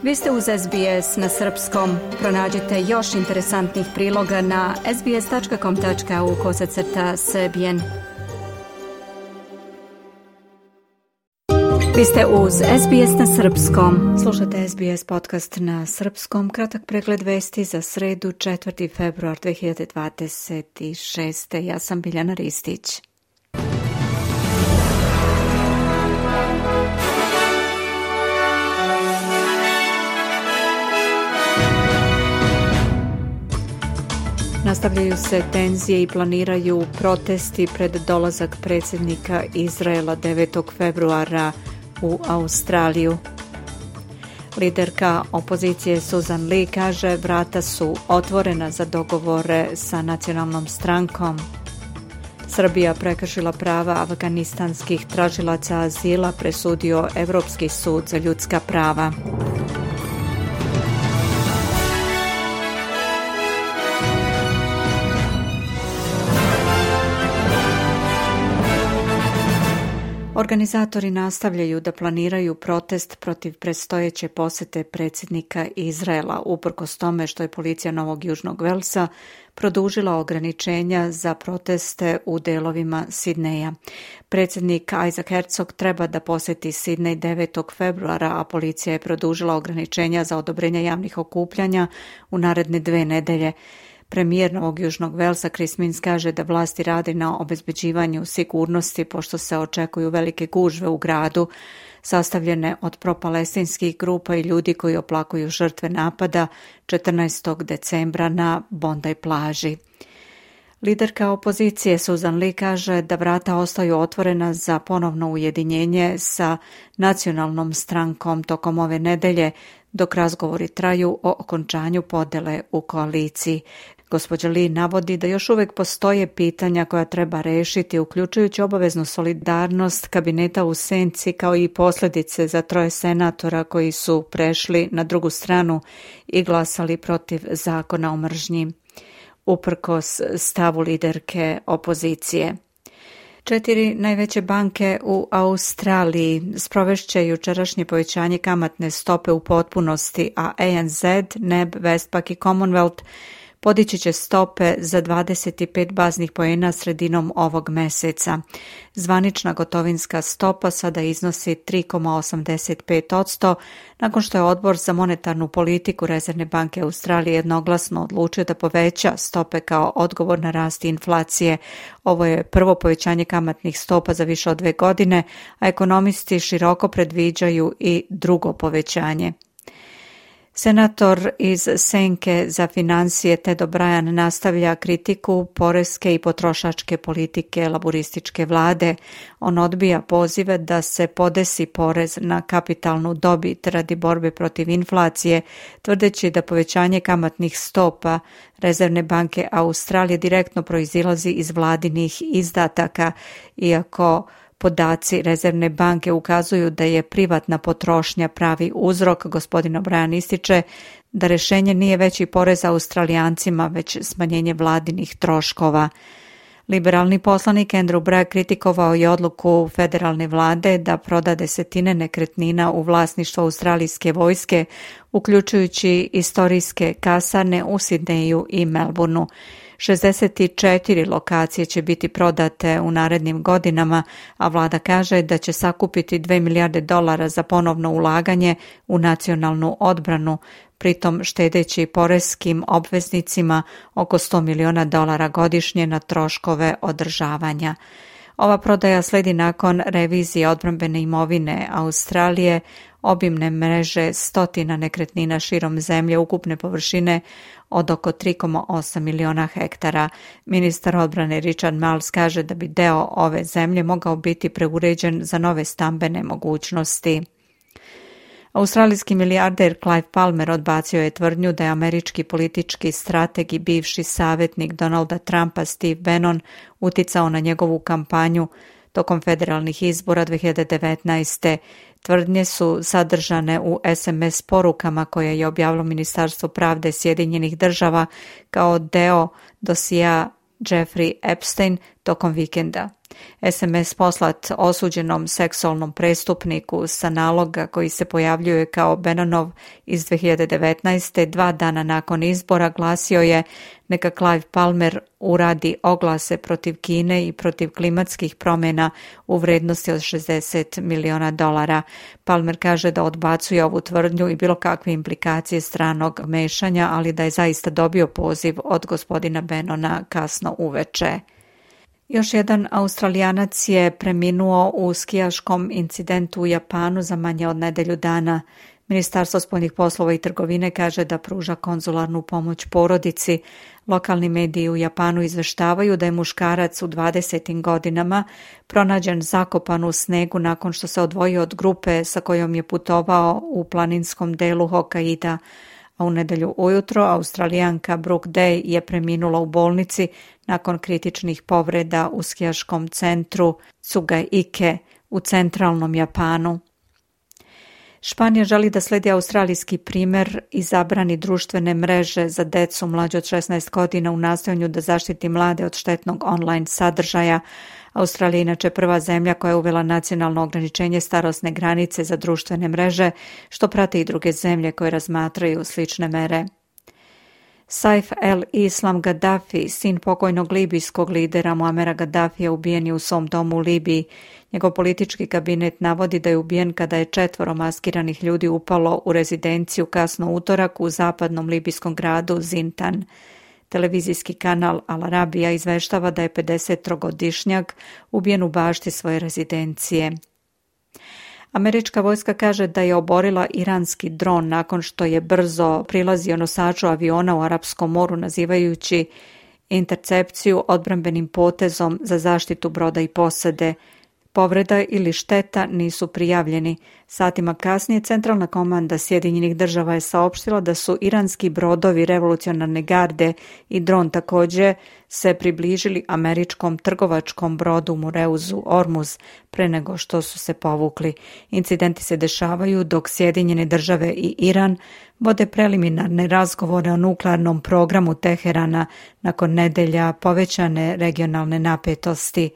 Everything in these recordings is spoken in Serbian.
Vi ste uz SBS na srpskom. Pronađite još interesantnih priloga na sbs.com.au/srbijen. Vi ste uz SBS na srpskom. Slušate SBS podcast na srpskom. Kratak pregled vesti za sredu 4. februar 2026. Ja sam Biljana Ristić. Nastavljaju se tenzije i planiraju protesti pred dolazak predsjednika Izraela 9. februara u Australiju. Liderka opozicije Susan Lee kaže vrata su otvorena za dogovore sa nacionalnom strankom. Srbija prekršila prava afganistanskih tražilaca azila, presudio Evropski sud za ljudska prava. Organizatori nastavljaju da planiraju protest protiv predstojeće posete predsjednika Izraela, uprkos tome što je policija Novog Južnog Velsa produžila ograničenja za proteste u delovima Sidneja. Predsjednik Isaac Herzog treba da poseti Sidnej 9. februara, a policija je produžila ograničenja za odobrenje javnih okupljanja u naredne 2 nedelje. Premijer Novog Južnog Velsa Chris Minns kaže da vlasti radi na obezbeđivanju sigurnosti pošto se očekuju velike gužve u gradu sastavljene od propalestinskih grupa i ljudi koji oplakuju žrtve napada 14. decembra na Bondi plaži. Liderka opozicije Susan Lee kaže da vrata ostaju otvorena za ponovno ujedinjenje sa nacionalnom strankom tokom ove nedelje, dok razgovori traju o okončanju podele u koaliciji. Gospođa Lee navodi da još uvijek postoje pitanja koja treba rešiti, uključujući obaveznu solidarnost kabineta u senci kao i posljedice za 3 senatora koji su prešli na drugu stranu i glasali protiv zakona o mržnji, uprkos stavu liderke opozicije. 4 najveće banke u Australiji sprovešće jučerašnje povećanje kamatne stope u potpunosti, a ANZ, NAB, Westpac i Commonwealth podići će stope za 25 baznih poena sredinom ovog meseca. Zvanična gotovinska stopa sada iznosi 3,85%, nakon što je Odbor za monetarnu politiku Rezervne banke Australije jednoglasno odlučio da poveća stope kao odgovor na rast inflacije. Ovo je prvo povećanje kamatnih stopa za više od 2 godine, a ekonomisti široko predviđaju i drugo povećanje. Senator iz Senke za financije Ted O'Brien nastavlja kritiku poreske i potrošačke politike laburističke vlade. On odbija pozive da se podesi porez na kapitalnu dobit radi borbe protiv inflacije, tvrdeći da povećanje kamatnih stopa Rezervne banke Australije direktno proizilazi iz vladinih izdataka, iako podaci Rezervne banke ukazuju da je privatna potrošnja pravi uzrok. Gospodin O'Brien ističe da rješenje nije veći porez Australijancima, već smanjenje vladinih troškova. Liberalni poslanik Andrew Bragg kritikovao je odluku federalne vlade da proda 10 nekretnina u vlasništvu australijske vojske, uključujući istorijske kasarne u Sidneju i Melbourneu. 64 lokacije će biti prodate u narednim godinama, a vlada kaže da će sakupiti $2 milijarde za ponovno ulaganje u nacionalnu odbranu, pritom štedeći poreskim obveznicima oko $100 miliona godišnje na troškove održavanja. Ova prodaja sledi nakon revizije odbrambene imovine Australije, obimne mreže 100 nekretnina širom zemlje ukupne površine od oko 3,8 miliona hektara. Ministar odbrane Richard Marles kaže da bi deo ove zemlje mogao biti preuređen za nove stambene mogućnosti. Australijski milijarder Clive Palmer odbacio je tvrdnju da je američki politički strateg i bivši savjetnik Donalda Trumpa Steve Bannon uticao na njegovu kampanju tokom federalnih izbora 2019. Tvrdnje su sadržane u SMS porukama koje je objavilo Ministarstvo pravde Sjedinjenih država kao deo dosija Jeffrey Epstein tokom vikenda. SMS poslat osuđenom seksualnom prestupniku sa naloga koji se pojavljuje kao Bennonov iz 2019. 2 dana nakon izbora glasio je neka Clive Palmer uradi oglase protiv Kine i protiv klimatskih promjena u vrednosti od $60 miliona. Palmer kaže da odbacuje ovu tvrdnju i bilo kakve implikacije stranog mešanja, ali da je zaista dobio poziv od gospodina Bennona kasno uveče. Još jedan Australijanac je preminuo u skijaškom incidentu u Japanu za manje od nedelju dana. Ministarstvo spoljnih poslova i trgovine kaže da pruža konzularnu pomoć porodici. Lokalni mediji u Japanu izveštavaju da je muškarac u 20. godinama pronađen zakopan u snegu nakon što se odvojio od grupe sa kojom je putovao u planinskom delu Hokkaida. A u nedelju ujutro Australijanka Brooke Day je preminula u bolnici nakon kritičnih povreda u skijaškom centru Tsugaike u centralnom Japanu. Španija želi da slijedi australijski primjer i zabrani društvene mreže za decu mlađe od 16 godina u nastojanju da zaštiti mlade od štetnog online sadržaja. Australija je inače prva zemlja koja je uvela nacionalno ograničenje starosne granice za društvene mreže, što prate i druge zemlje koje razmatraju slične mere. Saif el-Islam Gaddafi, sin pokojnog libijskog lidera Muamera Gaddafija, ubijen je u svom domu u Libiji. Njegov politički kabinet navodi da je ubijen kada je 4 maskiranih ljudi upalo u rezidenciju kasno utorak u zapadnom libijskom gradu Zintan. Televizijski kanal Al Arabija izveštava da je 53-godišnjak ubijen u bašti svoje rezidencije. Američka vojska kaže da je oborila iranski dron nakon što je brzo prilazio nosaču aviona u Arapskom moru, nazivajući intercepciju odbrambenim potezom za zaštitu broda i posade. Povreda ili šteta nisu prijavljeni. Satima kasnije Centralna komanda Sjedinjenih država je saopštila da su iranski brodovi revolucionarne garde i dron također se približili američkom trgovačkom brodu Mureuzu Ormuz pre nego što su se povukli. Incidenti se dešavaju dok Sjedinjene države i Iran vode preliminarne razgovore o nuklearnom programu Teherana nakon nedelja povećane regionalne napetosti.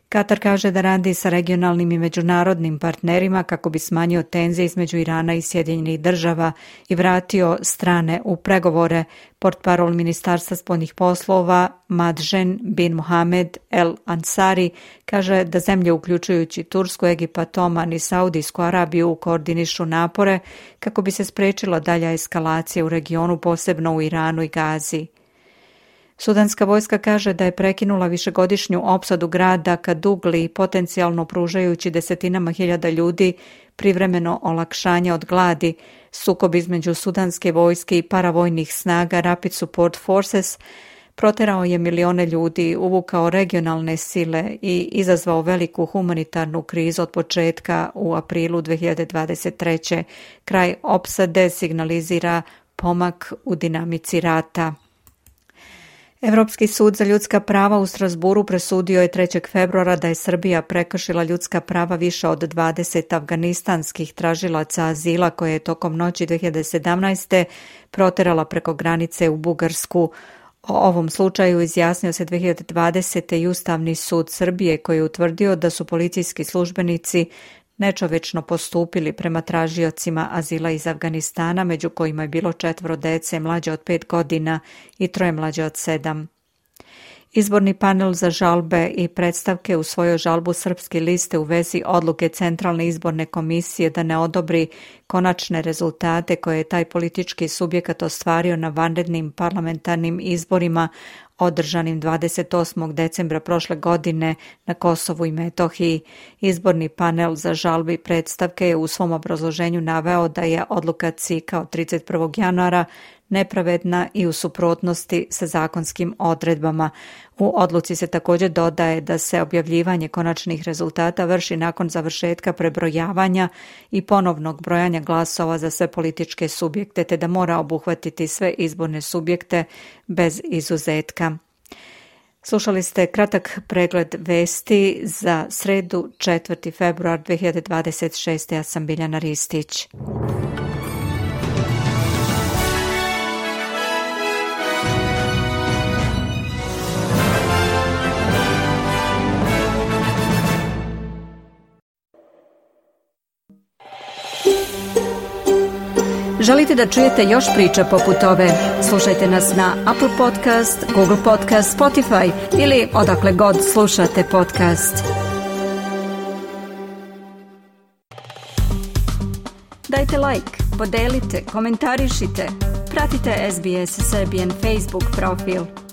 Katar kaže da radi sa regionalnim i međunarodnim partnerima kako bi smanjio tenzije između Irana i Sjedinjenih država i vratio strane u pregovore. Portparol Ministarstva spoljnih poslova Madžen bin Mohamed El Ansari kaže da zemlje uključujući Tursku, Egipat, Oman i Saudijsku Arabiju koordinišu napore kako bi se spriječila dalja eskalacija u regionu, posebno u Iranu i Gazi. Sudanska vojska kaže da je prekinula višegodišnju opsadu grada Kadugli, potencijalno pružajući desetinama hiljada ljudi privremeno olakšanje od gladi. Sukob između sudanske vojske i paravojnih snaga Rapid Support Forces proterao je milione ljudi, uvukao regionalne sile i izazvao veliku humanitarnu krizu od početka u aprilu 2023. Kraj opsade signalizira pomak u dinamici rata. Europski sud za ljudska prava u Strasburu presudio je 3. februara da je Srbija prekršila ljudska prava više od 20 afganistanskih tražilaca azila koje je tokom noći 2017. proterala preko granice u Bugarsku. O ovom slučaju izjasnio se 2020. i Ustavni sud Srbije koji je utvrdio da su policijski službenici nečovečno postupili prema tražiocima azila iz Afganistana, među kojima je bilo 4 dece mlađe od 5 godina i 3 mlađe od 7. Izborni panel za žalbe i predstavke usvojio žalbu Srpske liste u vezi odluke Centralne izborne komisije da ne odobri konačne rezultate koje je taj politički subjekat ostvario na vanrednim parlamentarnim izborima održanim 28. decembra prošle godine na Kosovu i Metohiji. Izborni panel za žalbe i predstavke je u svom obrazloženju naveo da je odluka CIK-a od 31. januara nepravedna i u suprotnosti sa zakonskim odredbama. U odluci se također dodaje da se objavljivanje konačnih rezultata vrši nakon završetka prebrojavanja i ponovnog brojanja glasova za sve političke subjekte, te da mora obuhvatiti sve izborne subjekte bez izuzetka. Slušali ste kratak pregled vesti za sredu 4. februar 2026. Ja sam Biljana Ristić. Želite da čujete još priča poput ove? Slušajte nas na Apple Podcast, Google Podcast, Spotify ili odakle god slušate podcast. Dajte like, podelite, komentarišite. Pratite SBS Serbian Facebook profil.